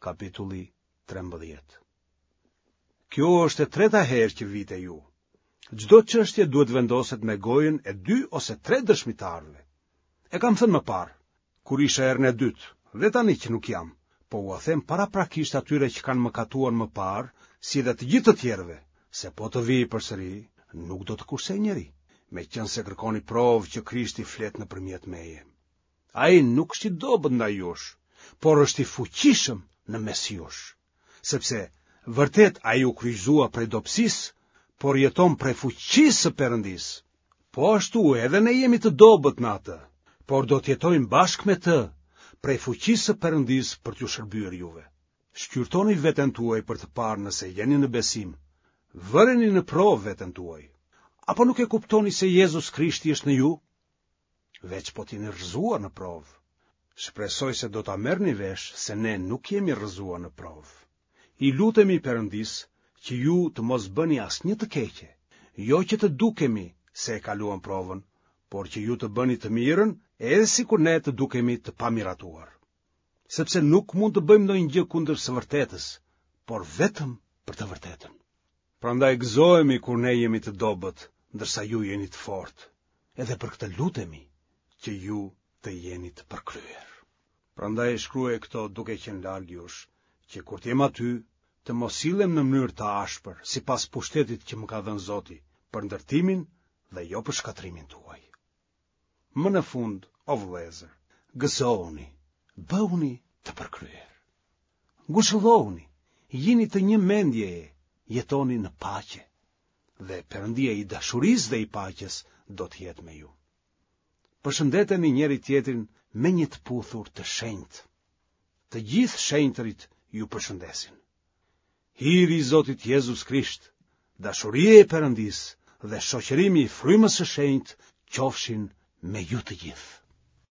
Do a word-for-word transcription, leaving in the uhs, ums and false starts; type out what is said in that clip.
Kapitulli trembëdhjetë. Kjo është e treta herë që vij te ju. Çdo çështje duhet të vendoset me gojën e dy ose tre dëshmitarëve. E kam thënë më parë, kur isha herën e dytë, dhe tani që nuk jam, po ua them paraprakisht atyre që kanë mëkatuar më parë, si dhe të gjithë të tjerëve, se po të vij përsëri, nuk do të kursej njeri, meqenëse kërkoni provë që Krishti flet nëpërmjet meje. Ai nuk është i dobët ndaj jush, por është i fuqishëm në mes jush, sepse vërtet ai u kryqëzua prej dobësisë, por jeton prej fuqisë së Perëndisë. Po ashtu edhe ne jemi të dobët në atë, por do të jetojmë bashkë me të, prej fuqisë së Perëndisë për t'ju shërbyer juve. Shqyrtoni veten tuaj për të parë nëse jeni në besim. Vëreni në provë veten tuaj. Apo nuk e kuptoni se Jezus Krishti është në ju? Veç po të jeni rrëzuar në provë. Shpresoj se do ta merrni vesh se ne nuk jemi rrëzuar në provë. I lutemi Perëndisë që ju të mos bëni asnjë të keqe, jo që të dukemi se e kaluam provën, por që ju të bëni të mirën edhe sikur ne të dukemi të pamiratuar. Sepse nuk mund të bëjmë ndonjë gjë kundër së vërtetës, por vetëm për të vërtetën. Prandaj gëzohemi kur ne jemi të dobët, ndërsa ju jeni të fortë. Edhe për këtë lutemi që ju të jeni të përkryer. Prandaj shkruaj këto duke qenë larg jush, që kur të jem aty, të mos sillem në mënyrë të ashpër, sipas pushtetit që më ka dhënë Zoti, për ndërtimin dhe jo për shkatërrimin tuaj. Më në fund, o vëllezër, gëzohuni, bëhuni të përkryer. Ngushëllohuni, jini të një mendjeje, jetoni në paqe, dhe Perëndia i dashurisë dhe i paqes do të jetë me ju. Përshëndeteni njëri tjetrin me një të puthur të shenjtë. Të gjithë shenjtërit ju përshëndesin. Hiri i Zotit Jezus Krisht, dashuria e Perëndisë dhe shoqërimi i Frymës së Shenjtë qofshin me ju të gjithë.